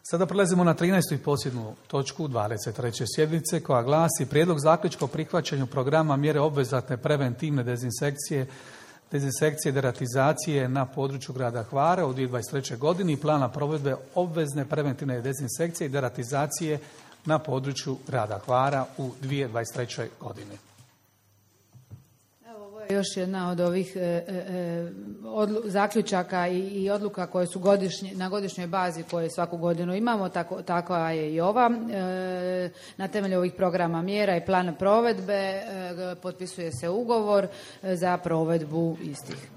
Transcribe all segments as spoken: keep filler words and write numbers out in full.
Sada prelazimo na trinaestu i posljednju točku dvadeset treće sjednice koja glasi Prijedlog zaključka o prihvaćanju programa mjere obvezatne preventivne dezinsekcije, dezinsekcije i deratizacije na području grada Hvara u dvije tisuće dvadeset trećoj godini i plana provedbe obvezne preventivne dezinsekcije i deratizacije na području grada Hvara u dvije tisuće dvadeset trećoj godini. Još jedna od ovih e, e, odlu, zaključaka i, i odluka koje su godišnje, na godišnjoj bazi koje svaku godinu imamo, tako, takva je i ova. E, na temelju ovih programa mjera i plana provedbe e, potpisuje se ugovor za provedbu istih.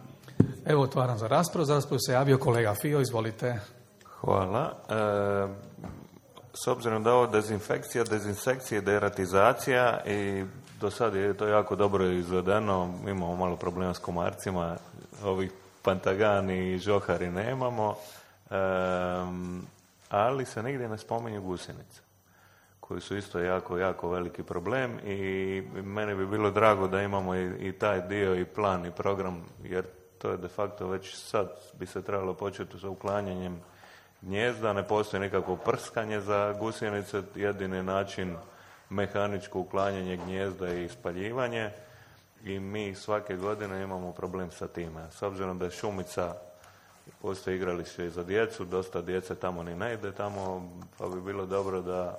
Evo, otvaram za raspravu. Za raspravu se javio kolega Fio, izvolite. Hvala. E, s obzirom da je ovo dezinfekcija, dezinsekcija i deratizacija i do sad je to jako dobro izvedeno, imamo malo problema s komarcima, ovih pantagani i žohari nemamo, um, ali se nigdje ne spominju gusjenice, koji su isto jako, jako veliki problem i meni bi bilo drago da imamo i, i taj dio i plan i program, jer to je de facto već sad bi se trebalo početi sa uklanjanjem gnijezda, ne postoji nikakvo prskanje za gusjenice, jedini način mehaničko uklanjanje gnijezda i spaljivanje i mi svake godine imamo problem sa time. S obzirom da je šumica, postoji igralište i za djecu, dosta djece tamo ni ne ide tamo, pa bi bilo dobro da,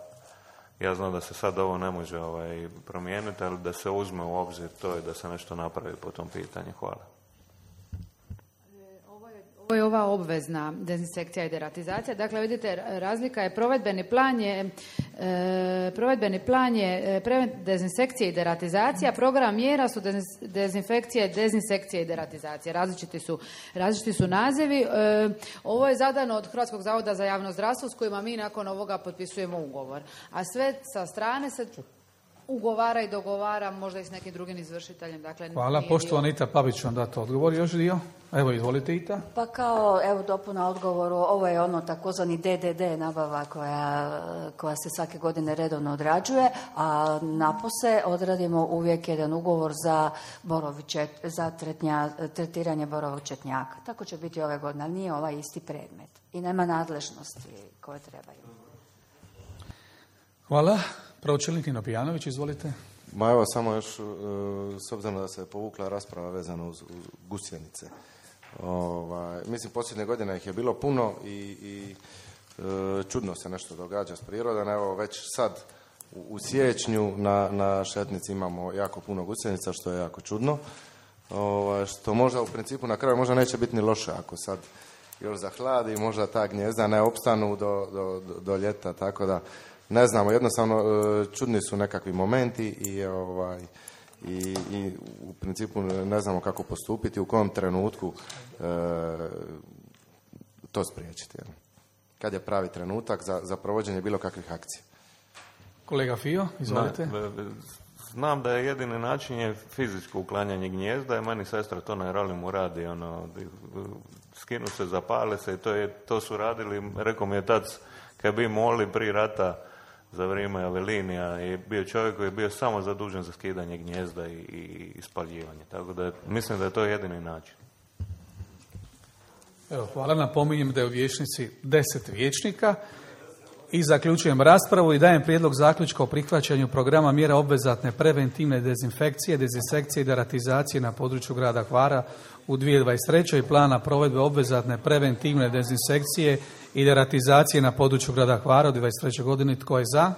ja znam da se sad ovo ne može ovaj, promijeniti, ali da se uzme u obzir to i da se nešto napravi po tom pitanju. Hvala. Ovo je ova obvezna dezinsekcija i deratizacija. Dakle, vidite, razlika je provedbeni plan je, e, provedbeni plan je e, dezinsekcija i deratizacija, program mjera su dezinfekcija, dezinsekcija i deratizacija. Različiti su, različiti su nazivi. E, ovo je zadano od Hrvatskog zavoda za javno zdravstvo s kojima mi nakon ovoga potpisujemo ugovor. A sve sa strane se ugovara i dogovara možda i s nekim drugim izvršiteljem. Dakle, hvala. Poštovana Ita Pavić vam dati odgovor još dio. Evo, izvolite Ita. Pa kao, evo dopuna odgovoru, ovo je ono takozvani D D D nabava koja, koja se svake godine redovno odrađuje, a napose odradimo uvijek jedan ugovor za, borovičet, za tretnja, tretiranje borovog četnjaka. Tako će biti ove godine, ali nije ovaj isti predmet i nema nadležnosti koje trebaju. Hvala. Pročelnik Nino Pijanović, izvolite. Ma evo, samo još, s obzirom da se povukla rasprava vezana uz, uz gusjenice. Ovaj, mislim, posljednje godine ih je bilo puno i, i e, čudno se nešto događa s prirodom. Evo, već sad u, u siječnju na, na Šetnici imamo jako puno gusjenica, što je jako čudno. Ovaj, što možda u principu na kraju možda neće biti ni loše ako sad još zahladi, možda ta gnijezda ne opstanu do, do, do, do ljeta, tako da ne znamo, jednostavno čudni su nekakvi momenti i, ovaj, i, i u principu ne znamo kako postupiti, u kom trenutku e, to spriječiti. Jel? Kad je pravi trenutak za, za provođenje bilo kakvih akcija. Kolega Fio, izvolite. Na, znam da je jedini način je fizičko uklanjanje gnijezda i meni sestra to na Ralimu radi, ono, skinu se, zapale se i to, je, to su radili, rekao mi je tac, kad bi molili prije rata za vrijeme Avelinija je bio čovjek koji je bio samo zadužen za skidanje gnijezda i, i, i spaljivanje. Tako da mislim da je to jedini način. Evo, hvala. Napominjem da je u vijećnici deset vijećnika i zaključujem raspravu i dajem prijedlog zaključka o prihvaćanju programa mjera obvezatne preventivne dezinfekcije, dezinsekcije i deratizacije na području grada Hvara u dvije tisuće dvadeset trećoj i plana provedbe obvezatne preventivne dezinsekcije i deratizacije na području grada Hvara u dvije tisuće dvadeset trećoj godini. Tko je za?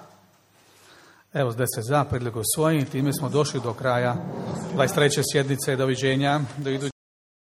Evo, deset za, prijedlog je usvojen. Time smo došli do kraja dvadeset treće sjednice. Doviđenja. Do iduće.